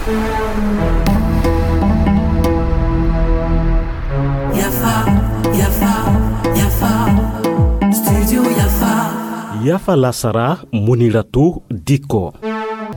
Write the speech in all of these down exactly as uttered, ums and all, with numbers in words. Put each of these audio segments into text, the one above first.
Yafa, yafa, yafa. Studio yafa. Yafa lasara, Muniratu Diko.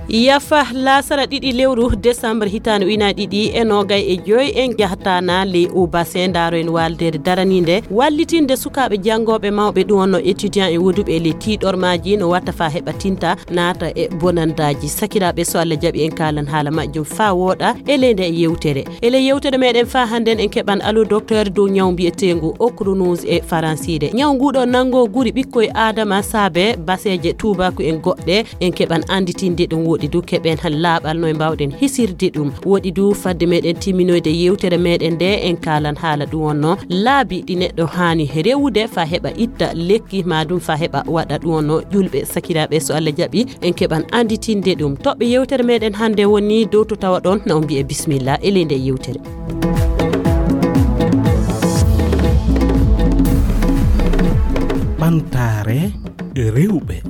Yafa lasara ɗiɗi lewru décembre hitaande ujunaaji ɗiɗi e noogay e joy, en jahata na ley o bassin, ndaaro en waaldeere daraniinde wallitinde sukaaɓe janngooɓe mawɓe, ɗum wonno étudiant e woduɓe e ley tiiɗormaaji, no watta fa heɓa tinta naata e bonandaaji. Sakiraaɓe, so Allah jaɓi, en kaalan haala majjum fa wooɗa e ley nde yewtere. E ley yewtere meɗen fa hannden en keɓan allo docteur dow ñaw mbiyeteengu ochronose e faransiire. Ñaw nguɗo nanngo guri ɓikkoy Aadama saabe baseeje tuubaaku en goɗɗe. En keɓan annditinde ɗum. Woɗi du keɓen laaɓal no e mbawɗen hisirde ɗum. Woɗi du fadde meɗen timminoyde yewtere meɗen nde, en kaalan haala ɗum wonno laabi ɗi neɗɗo haani rewude fa heɓa itta lekki, ma ɗum fa heɓa waɗa ɗum wonno ƴulɓe. Sakiraaɓe, so Allah jaɓi, en keɓan annditinde ɗum. Toɓɓe yewtere meɗen hannde woni dow to tawa ɗon, na on mbiye bismillah e ley nde yewtere. Ɓamtaare rewɓe.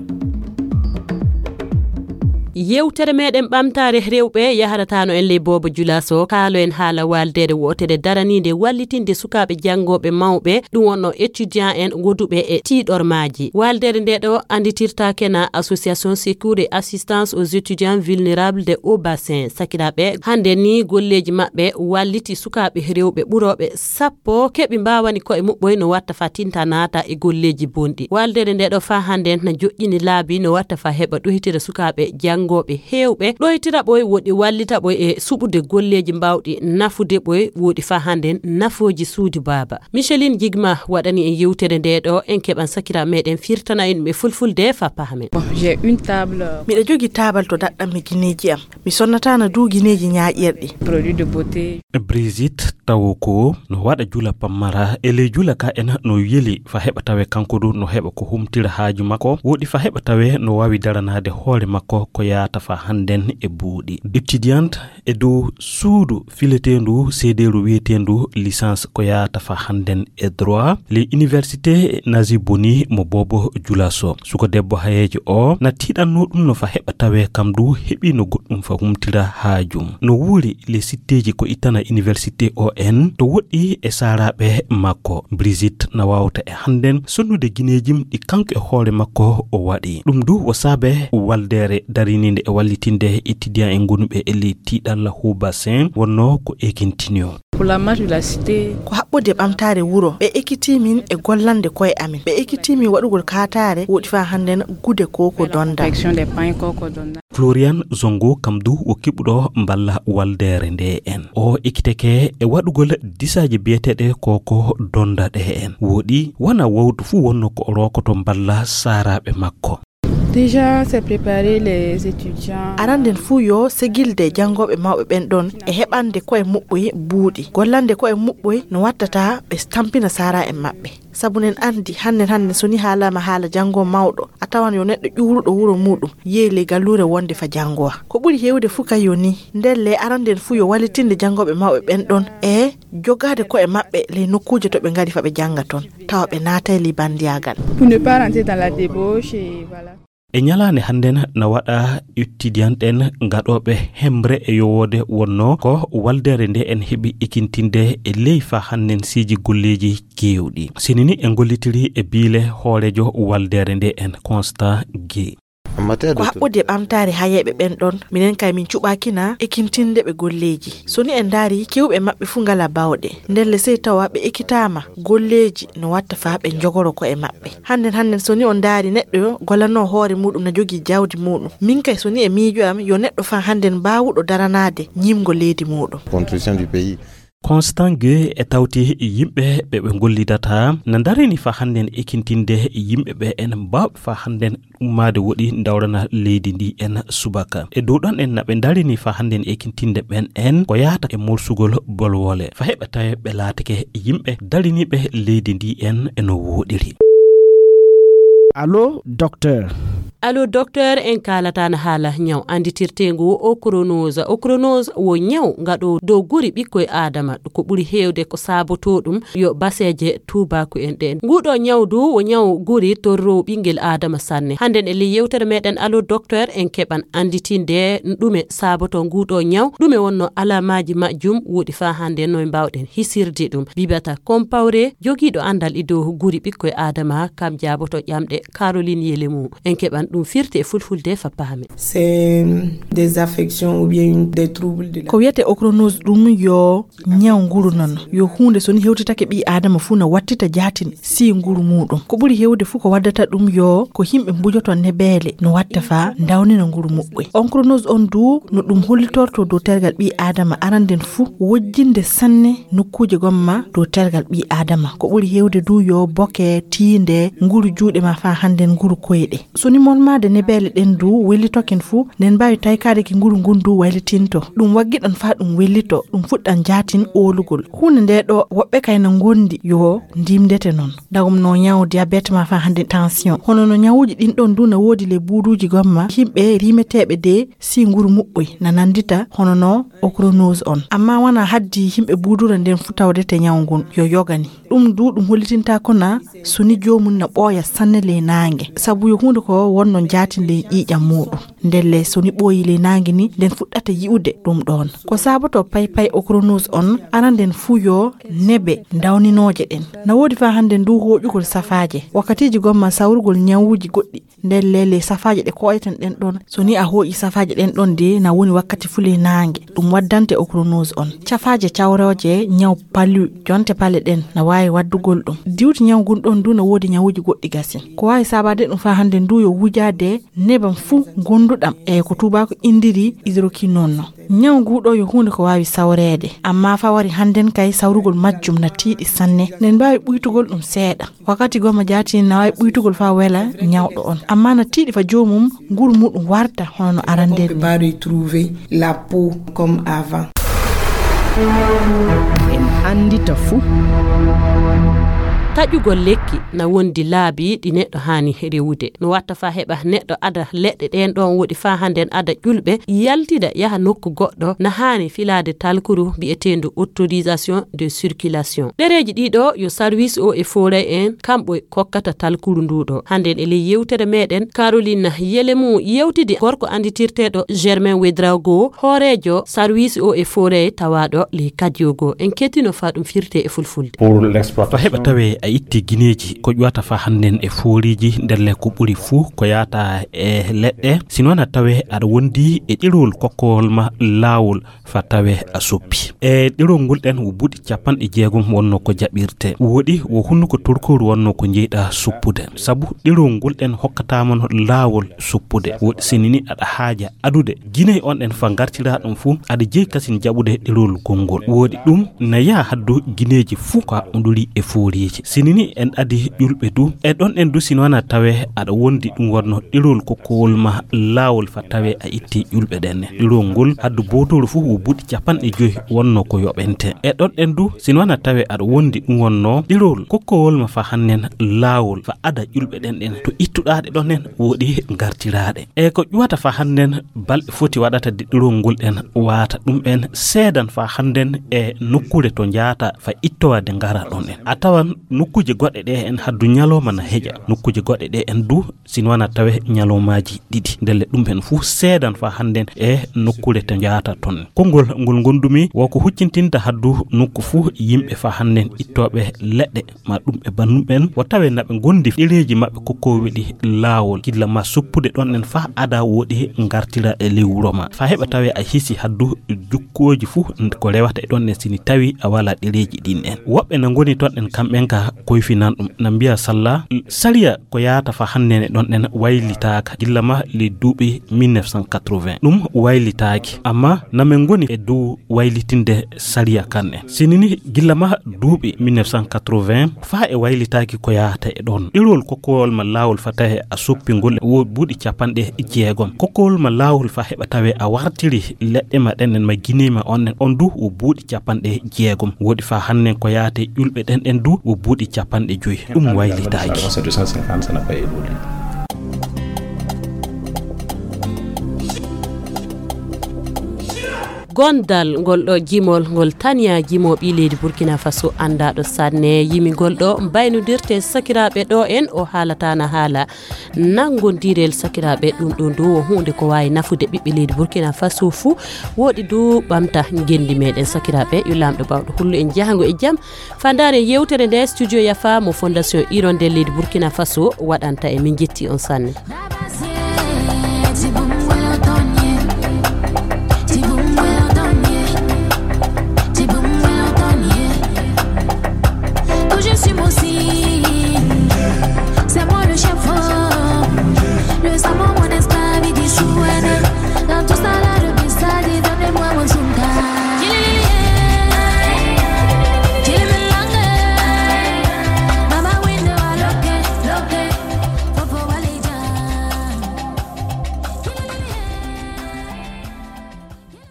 Yewtere meɗen ɓamtaare rewɓe yaharatano en ley boobo Julaso, kaalo en haala waaldeere wootere daraniinde wallitinde sukaaɓe janngooɓe mawɓe, ɗum wonno étudiant en woduɓe e tiiɗormaaji. Waaldeere nde ɗo annditirtaake na Association Secours et Assistance aux Étudiants Vulnérables de Haut Bassin. Sakiraaɓe, hannde ni golleeji maɓɓe walliti sukaaɓe rewɓe ɓurooɓe sappo keɓi mbawani koye muɓɓoy no watta fa tinta naata e golleeji bonɗi. Waaldeere nde ɗo fa hannde na joƴƴini laabi no watta fa heɓa ɗoytira sukaaɓe janngooɓe heewɓe, ɗoytira ɓoy woɗi wallita ɓoy e suɓude golleeji mbawɗi nafude ɓoy woɗi fa hannde nafooji suudu baaba. Micheline Jigma waɗani en yewtere nde ɗo, en keɓan sakiraaɓe meɗen firtana en ɗum e fulfulde fa pahamen. Bon, j'ai une table. Miɗo jogii taabal to daɗɗammi gineeji am. Mi sonnataana duu gineeji ñaaƴirɗi. Produit de beauté. Brigitte tawo ko no waɗa jula pammara e ley jula ka en no yeli fa heɓa tawe kanko du no heɓa ko humtira haaju makko, woɗi fa heɓa tawe no waawi daranaade hoore makko ko yaata fa hannden e buuɗi. Étudiante e dow suudu fileteendu seedeeru wiyeteendu licence ko yaata fa hannden e droit, ley université Naziboni mo boobo Julaso. Suko debbo hayeejo o na tiiɗanno ɗum no fa heɓa tawe kam du heɓi no goɗɗum fa humtira haajum. No wuuri ley sitteeji ko ittana université o en to woɗɗi e saaraaɓe makko. Brigitte na waawta e hannden sonnude gineejim ɗi kanko e hoore makko o waɗi. Ɗum du wo saabe waldeere dariniinde e wallitinde étudiant en gonuɓe e ley tiiɗalla Haut Bassin wonno ko ekintinio. Pour la marche de la cité. Ko haɓɓude ɓamtaare wuro, ɓe ekkitii min e gollande koye amin. Ɓe ekkitii min waɗugol kaataare woɗi faa hannden gude ko ko donda. Confection des pains ko ko donda. Florian Zongo kam du wo keɓuɗo mballa waldeere nde en. O ekkiteke e waɗugol disaaji biyeteeɗe ko ko donda ɗe en. Woɗi wona wowtu fuu wonno ko o rookoto mballa saaraaɓe makko. Déjà, c'est préparer les étudiants. Aranden fuu yo segilde janngooɓe mawɓe ɓen ɗon e heɓande koye muɓɓoy buuɗi, gollande koye muɓɓoy no wattata ɓe stampina saara en maɓɓe. Sabu nen anndi, hannen hannen so ni haalaama haala janngo mawɗo, a tawan yo neɗɗo ƴuuruɗo wuro muuɗum yehi ley galluure wonde fa janngowa. Ko ɓuri heewde fuu kay yo ni, ndelle aranden fuu yo wallitinde janngooɓe mawɓe ɓen ɗon e jogaade koye maɓɓe ley nokkuuje to ɓe ngari fa ɓe jannga ton, tawa ɓe naatay ley banndiyaagal. Pour ne pas rentrer dans la débauche, et voilà. E ñalaande hannden na waɗa étudiant en gaɗooɓe hemre e yowoode wonno ko waldeere nde en heɓi ekintinde e ley fa hannen siiji golleeji keewɗi. Sinini en gollitiri e biile hooreejo waldeere nde en Constant Gué. Ko haɓɓude ɓamtaare hayeeɓe ɓen ɗon, minen kay min cuɓaakina ekintinde ɓe golleeji. So ni en ndaari, kewɓe maɓɓe fuu ngala bawɗe. Ndelle sey tawa ɓe ekitaama golleeji no watta faa ɓe njogoro ko'e maɓɓe. Hannden, hannden so ni on ndaari neɗɗo gollanoo hoore muuɗum na jogii jawdi muuɗum. Min kay so ni e miijo am yo neɗɗo faa hannden baawuɗo daranaade ñiimgo leydi muuɗum. Construction du pays. Constant Gué e tawti yimɓe ɓe ɓe ngollidata na ndarini fa hannden ekintinde yimɓe ɓe en mbawɓe fa hannden ummaade woɗi ndawrana leydi ndi en subaka. E dow ɗon en na ɓe ndarini fa hannden ekintinde ɓen en ko yahata e morsugol bolwole fa heɓa tawe ɓe laatake yimɓe dariniiɓe leydi ndi en e no wooɗiri. Allo, docteur. Allo Docteur, en kaalata na haala ñaw annditirteengu o chronose. O chronose wo ñaw ngaɗo dow guri ɓikkoy Aadama. Ko ɓuri heewde ko saabotoo ɗum yo baseeje tuubaaku en ɗeen. Nguɗo ñaw du wo ñaw guri torroowo ɓinngel Aadama sanne. Hannden e ley yewtere meɗen Allo Docteur, en keɓan annditinde ɗume saabotoo nguɗo ñaw, ɗume wonno alaamaaji majjum, woɗi faa hannden noy mbaawɗen hisirde ɗum. Bibata Compaoré, jogiiɗo anndal e dow guri ɓikkoy Aadama, kam jaaboto ƴamɗe Caroline Yelemu. En keɓan ɗum firti e fulfulde fa paame. C'est des affections ou bien une- des troubles de la- Ko wiyete ochronose ɗum yo ñaw nguru noon. Yo huunde so ni hewtitake ɓii Aadama fuu na wattita jaatin sii nguru muuɗum. Ko ɓuri hewde fuu ko waddata ɗum yo ko yimɓe mbujoto nebeele no watta faa ndawnina nguru muɓɓoy. Ochronose on du no ɗum hollitorto dow tergal ɓii Aadama aranden fuu wojjinde sanne nokkuuje gomma dow tergal ɓii Aadama. Ko ɓuri hewde du yo boke, tiinde, nguru juuɗe ma faa hannden nguru koyɗe. So ni molmaade nebeele ɗen du wellitoken fuu, nden mbaawi taykaade ki nguru ngun du waylitinto. Ɗum waggiɗan faa ɗum wellito, ɗum fuɗɗan jaatin oolugol. Huunde nde ɗo woɓɓe kay na ngondi yo ndimdete noon. Dagum no ñaw diabète ma faa hannden tension. Hono no ñawuuji ɗin ɗon du na woodi le buuduuji gomma, yimɓe rimeteeɓe de sii nguru muɓɓoy na nanndita hono no ochronose on. Amma wana haddi yimɓe buudura nden fuu tawdete ñaw ngun yo yogani. Ɗum du ɗum hollitinta ko na so ni joomum na ɓooya sanne ley naange. Sabu yo huunde ko wonno jaatin ley ƴiiƴam muuɗum. Ndelle so ni ɓooyi ley naange ni, nden fuɗɗata yi'ude ɗum ɗoon. Ko saaboto paypay ochronose on, aranden fuu yo nebe ndawninooje ɗen. Na woodi faa hannden du hooƴugol safaaje. Wakkatiiji gomma sawrugol ñawuuji goɗɗi. Ndelle ley safaaje ɗe kooyeten ɗen ɗon, so ni a hooƴi safaaje ɗen ɗon de, na woni wakkati fuu ley naange. Ɗum waddante ochronose on. Cafaaje cawrooje ñaw palu, jonte pale ɗen, na waawi waddugol ɗum. Diwti ñaw ngun ɗon du na woodi ñawuuji goɗɗi gasi. Ko waawi saabaade ɗum faa hannden du yo wujaade nebam fuu gonduɗam e ko tuubaaku inndiri hydroquinone no. Ñaw ngu ɗo yo huunde ko waawi sawreede, amma faa wari hannden kay sawrugol majjum na tiiɗi sanne. Nen mbaawi ɓuytugol ɗum seeɗa. Wakkati gomma jaati na waawi ɓuytugol faa wela ñawɗo on. Amma na tiiɗi faa joomum nguru muuɗum warta hono no arande ni. Pas retrouver la peau comme avant. En anndita fuu. Taƴugol lekki na wondi laabi ɗi neɗɗo haani rewude. No watta faa heɓa neɗɗo ada leɗɗe ɗeen ɗoon woɗi faa hannden ada ƴulɓe, yaltida yaha nokku goɗɗo, na haani filaade talkuru bi'eteendu autorisation de circulation. Ɗereeji ɗiɗo yo service o e fooray en kamɓe kokkata talkuru ndu ɗo. Hannden e ley yewtere meɗen, Caroline Yelemu yewtidi gorko annditirteeɗo Germain Ouedraogo, hooreejo sarwiisi o e fooray tawaaɗo ley Kadiogo. En kettino faa ɗum firte e fulfulde. Pour l'exploitation. Faa heɓa tawee a itti gineeji ko ƴuwata faa hannden e fooriiji, ndelle ko ɓuri fuu ko yaata e leɗɗe. Sinno na tawee aɗa wondi e ɗerewol kokkowol ma laawol faa tawee a soppi. E ɗerewol ngol ɗen wo buuɗi capanɗe jeegom wonno ko jaɓirte. Woɗi wo hunnuko turkooru wonno ko jeyɗa soppude. Sabu ɗerewol ngol ɗen hokkataama no laawol soppude. Woɗi sinno ni aɗa haaja adude gineeji on ɗen faa ngartiraa ɗum fuu, aɗa jeyi kasin jaɓude ɗerewol gonngol. Woɗi ɗum na yaha haddu gineeji fuu ko haɓɓondiri e fooriiji. Sinno ni en adi ƴulɓe du, e ɗon ɗen du sinno na tawee aɗa wondi ɗum wonno ɗerewol kokkowol ma laawol faa tawee a itti ƴulɓe ɗen ne. Ɗerewol ngol haddu bootooru fuu wo buuɗi capanɗe joy wonno ko yoɓente. E ɗon ɗen du sinno na tawee aɗa wondi ɗum wonno ɗerewol kokkowol ma faa hannden laawol faa ada ƴulɓe ɗen ɗen to ittuɗaa ɗe ɗon ɗen woɗi ngartiraaɗe. E ko ƴuwata faa hannden balɗe foti waɗata de ɗerewol ngol ɗen waata ɗum en seedan faa hannden e nokkuure to njaata faa ittowa de ngara ɗon en. A tawan nokkuuje goɗɗe ɗe en haddu ñalooma na heƴa. Nokkuuje goɗɗe ɗe en du sinno na tawee ñaloomaaji ɗiɗi. Ndelle ɗum en fuu seedan faa hannden e nokkuure to njaata ton. Konngol ngol ngondumi wo ko huccintinde haddu nokku fuu yimɓe faa hannden ittooɓe leɗɗe ma ɗum e bannum en, wo tawee na ɓe ngondi ɗereeji maɓɓe kokkoowi ɗi laawol, gilla ma soppude ɗon en faa ada woɗi ngartira e ley wuro ma. Faa heɓa tawee a hisi haddu jukkooji fuu ko rewata e ɗon en sinno tawii a walaa ɗereeji ɗin en. Woɓɓe na ngoni ton en kamɓen ka koyfinan ɗum, na mbiya salla sariya ko yaata faa hannden e ɗon en waylitaaka gilla ma ley duuɓi mille neuf cent quatre-vingts. Ɗum waylitaaki, amma na men ngoni e dow waylitinde sariya kan en. Sinno ni gilla ma duuɓi mille neuf cent quatre-vingts faa e waylitaaki ko yaata e ɗon. Ɗerewol kokkowol ma laawol faa tawee a soppi ngol wo buuɗi capanɗe jeegom. Kokkowol ma laawol faa heɓa tawee a wartiri leɗɗe ma ɗen en ma gineeji ma on en, on du wo buuɗi capanɗe jeegom. Woɗi faa hannden ko yaata e ƴulɓe ɗen ɗen du wo buuɗi capanɗe joy. Ɗum waylitaaki. Deux cent cinquante, ça n'a pas évolué. Gondal ngol ɗo jimol ngol Tania Jimo ɓii leydi Burkina Faso anndaaɗo sanne yimi ngol ɗo mbaynodirte sakiraaɓe ɗo en o haalataana haala nanngondirel sakiraaɓe ɗum ɗo ndu o huunde ko waawi nafude ɓiɓɓe leydi Burkina Faso fuu woɗi du ɓamta ngenndi meɗen sakiraaɓe yo laamɗo bawɗo hullu en jahango e jam. Fandaare yewtere nde studio yafa mo fondation ironde leydi Burkina Faso waɗanta e min jetti on sanne.